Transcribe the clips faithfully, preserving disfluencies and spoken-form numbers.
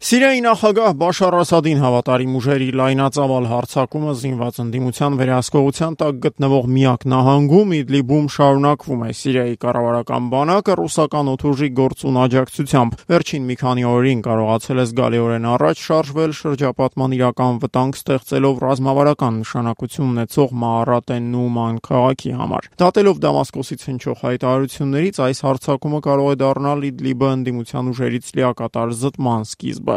Սիրիայի նախագահ Բաշար Ասադին հավատարիմ ուժերի լայնածավալ հարձակումը զինված ընդդիմության վերահսկողության տակ գտնվող միակ նահանգում Իդլիբում շարունակվում է։ Սիրիայի կառավարական բանակը ռուսական օդուժի գործուն աջակցությամբ վերջին մի քանի օրերին կարողացել է զգալիորեն առաջ շարժվել շրջապատման իրական վտանգ ստեղծելով ռազմավարական նշանակություն ունեցող Մաարատեն Նուման քաղաքի համար։ Դատելով Դամասկոսից հնչող հայտարարություններից, այս հարձակումը կարող է դառնալ Իդլիբը ընդդիմության ուժերից լիակատար զտման սկիզբը։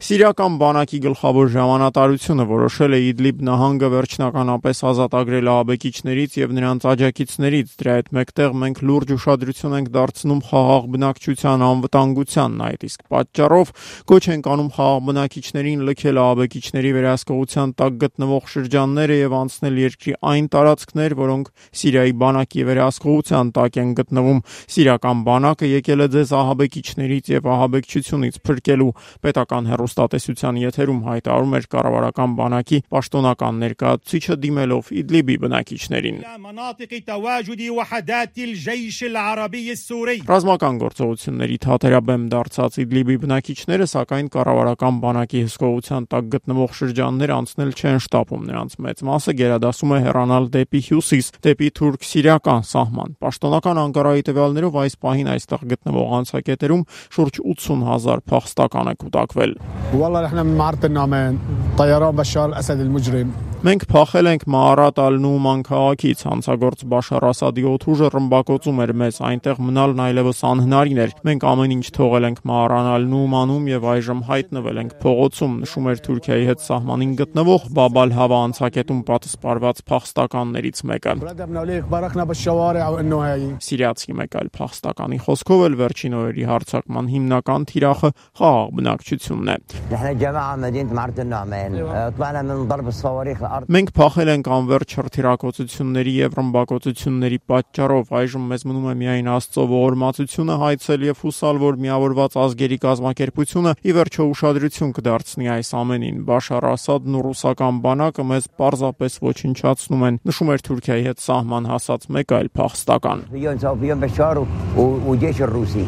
Սիրիական բանակի գլխավոր հրամանատարությունը որոշել է Իդլիբ նահանգը վերջնականապես ազատագրել ահաբեկիչներից եւ նրանց աջակիցներից։ Դրա հետ մեկտեղ մենք լուրջ ուշադրություն ենք դարձնում խաղաղ բնակչության անվտանգությանն, այդ իսկ պատճառով կոչ ենք անում խաղաղ բնակիչներին լքել ահաբեկիչների վերահսկողության տակ գտնվող շրջանները եւ անցնել երկրի այն տարածքներ, որոնք Սիրիայի բանակի վերահսկողության տակ են գտնվում։ Սիրիական բանակը եկել է ձեզ ահաբեկիչներից եւ ահաբեկչությունից փրկելու, պետական հեռուստատեսության եթերում հայտարարում էր կառավարական բանակի պաշտոնական ներկայացուցիչը դիմելով Իդլիբի բնակիչներին։ Ռազմական գործողությունների թատերաբեմ դարձած Իդլիբի բնակիչները, սակայն կառավարական բանակի հսկողության տակ գտնվող շրջաններ անցնել չեն շտապում։ Նրանց մեծ մասը գերադասում է հեռանալ դեպի հյուսիս, դեպի թուրք-սիրիական սահման։ Պաշտոնական Անկարայի տվյալներով այս պահին այստեղ գտնվող անցակետերում շուրջ ութսուն հազար փախստական է կուտակվել։ Մենք փախել ենք Մաարատ ալ-Նուման քաղաքից, հանցագործ Բաշար Ասադի օդուժը ռմբակոծում էր մեզ, այնտեղ մնալն այլևս անհնարին էր։ Մենք ամեն ինչ թողել ենք Մաարան ալ-Նումանում եւ այժմ հայտնվել ենք փողոցում, նշում էր Թուրքիայի հետ սահմանին գտնվող Բաբ ալ-Հավա անցակետում պատսպարված փախստականներից մեկը։ Սիրիացի մեկ այլ փախստականի խոսքով էլ վերջին օրերի հարձակման հիմնական թիրախը խաղաղ բնակչությունն է։ Մենք փախել ենք անվերջ հրթիռակոծությունների եւ ռմբակոծությունների պատճառով, այժմ մեզ մնում է միայն Աստծո ողորմածությունը հայցել եւ հուսալ, որ միավորված ազգերի կազմակերպությունը ի վերջո ուշադրություն կդարձնի այս ամենին։ Բաշար Ասադն ու ռուսական բանակը մեզ պարզապես ոչնչացնում են, նշում էր Թուրքիայի հետ սահման հասած մեկ այլ փախստական։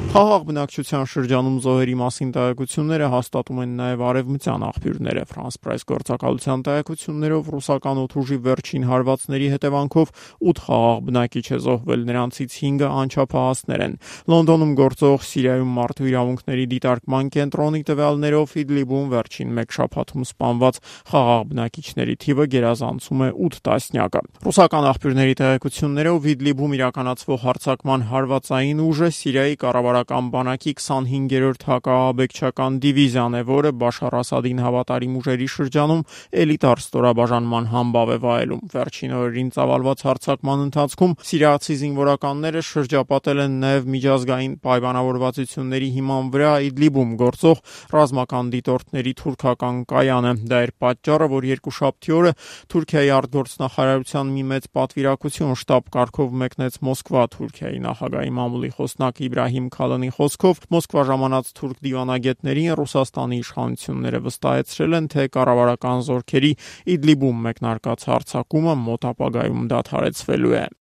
Խաղաղ բնակչության շրջանում զոհերի մասին տեղեկությունները հաստատում են նաեւ արևմտյան աղբյուրները։ Ֆրանս Պրես գործակալության տեղեկություններով ռուսական օդուժի վերջին հարվածների հետևանքով ութ խաղաղ բնակիչ է զոհվել, նրանցից հինգը անչափահասներ են։ Լոնդոնում գործող Սիրիայում մարդու իրավունքների դիտարկման կենտրոնի տվյալներով Իդլիբում վերջին մեկ շաբաթում սպանված խաղաղ բնակիչների թիվը գերազանցում է ութ տասնյակը։ Ռուսական աղբյուրների տեղեկություններով Իդլիբում իրականացվող հարձակման հարվածային ուժը Սիրիայի կառավարական բանակի քսանհինգերորդ հակաահաբեկչական դիվիզիան է, որը Բաշար Ասադին հավատարիմ ուժերի շրջանում էլիտար ստորաբաժանման համբավ է վայելում։ Վերջին օրերին ծավալված հարձակման ընթացքում սիրիացի զինվորականները շրջապատել են նաև միջազգային պայմանավորվածությունների հիման վրա Իդլիբում գործող ռազմական դիտորդների թուրքական կայանը։ Դա էր պատճառը, որ երկուշաբթի օրը Թուրքիայի արտգործնախարարության մի մեծ պատվիրակություն շտաբ կարգով մեկնեց Մոսկվա։ Թուրքիայի նախագահի մամուլի խոսնակ Իբրահիմ Քալանի խոսքով Մոսկվա ժամանած թուրք դիվանագետներին Ռուսաստանի իշխանությունները վստահեցրել են, թե կառավարական զորքերի Իդլիբում մեկնարկած հարձակումը մոտ ապագայում դադարեցվելու է։